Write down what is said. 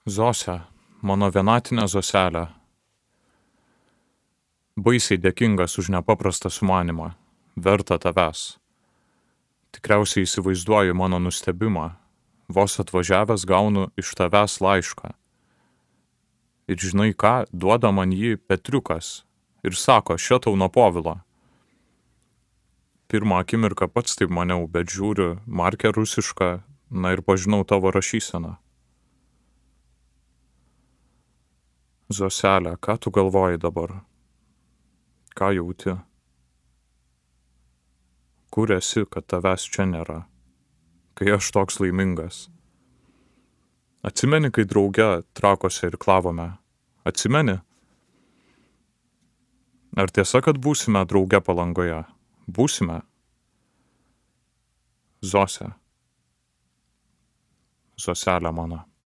Zose, mano vienatinė Zoselė, baisiai dėkingas už nepaprastą sumanimą, vertą tavęs. Tikriausiai įsivaizduoju mano nustebimą, vos atvažiavęs gaunu iš tavęs laišką. Ir žinai ką, duoda man jį Petriukas ir sako, šitau nuo Povilo. Pirmą akimirką pats taip maniau, bet žiūriu, markė rusiška, na ir pažinau tavo rašyseną. Zoselė, ką tu galvoji dabar? Ką jauti? Kur esi, kad tavęs čia nėra? Kai aš toks laimingas. Atsimeni, kai drauge Trakuose irklavome? Atsimeni? Ar tiesa, kad būsime drauge Palangoje? Būsime? Zose. Zoselė mano.